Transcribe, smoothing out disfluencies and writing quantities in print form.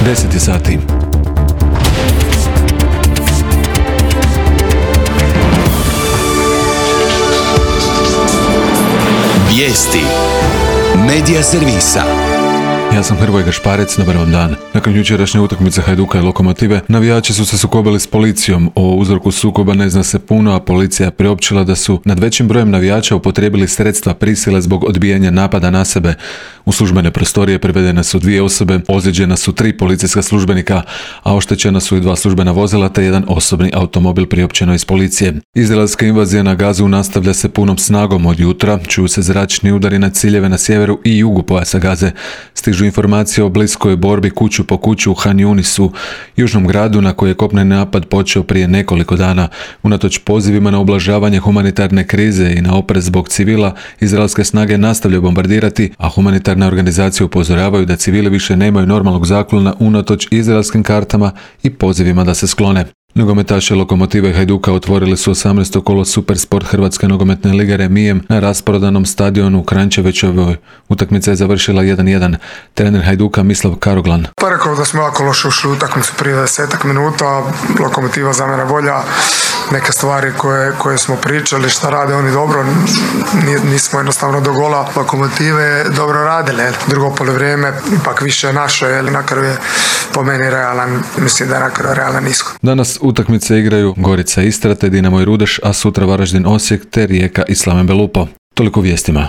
10 je sati. Vijesti Medija servisa. Ja sam Hrvoje Gašparec, dobar vam dan. Nakon jučerašnje utakmice Hajduka i Lokomotive, navijači su se sukobili s policijom. O uzroku sukoba ne zna se puno, a policija je priopćila da su nad većim brojem navijača upotrijebili sredstva prisile zbog odbijanja napada na sebe. U službene prostorije privedene su 2 osobe, ozlijeđena su 3 policijska službenika, a oštećena su i 2 službena vozila te 1 osobni automobil, priopćeno iz policije. Izraelska invazija na Gazu nastavlja se punom snagom od jutra, čuju se zračni udari na ciljeve na sjeveru i jugu pojasa Gaze. Stižu informacije o bliskoj borbi kuću po kuću u Han Yunisu, južnom gradu na koji je kopneni napad počeo prije nekoliko dana. Unatoč pozivima na ublažavanje humanitarne krize i na oprez zbog civila, izraelske snage nastavljaju bombardirati, a humanitarne organizacije upozoravaju da civili više nemaju normalnog zaklona unatoč izraelskim kartama i pozivima da se sklone. Nogometaši Lokomotive i Hajduka otvorili su 18. kolo Supersport Hrvatske nogometne lige remijem na rasprodanom stadionu u Kranjčevićevoj. Utakmica je završila 1:1. Trener Hajduka Mislav Karoglan. Pa rekao da smo jako loše ušli u utakmicu prije 10 minuta. Lokomotiva za mene bolja. Neke stvari koje smo pričali, šta rade oni dobro, nismo jednostavno do gola Lokomotive dobro radili. Drugo poluvrijeme ipak više naše, na kraju je po meni realan, mislim da je na kraju realan ishod. Danas utakmice igraju Gorica Istra te Dinamo i Rudeš, a sutra Varaždin Osijek te Rijeka i Slaven Belupo. Toliko vijestima.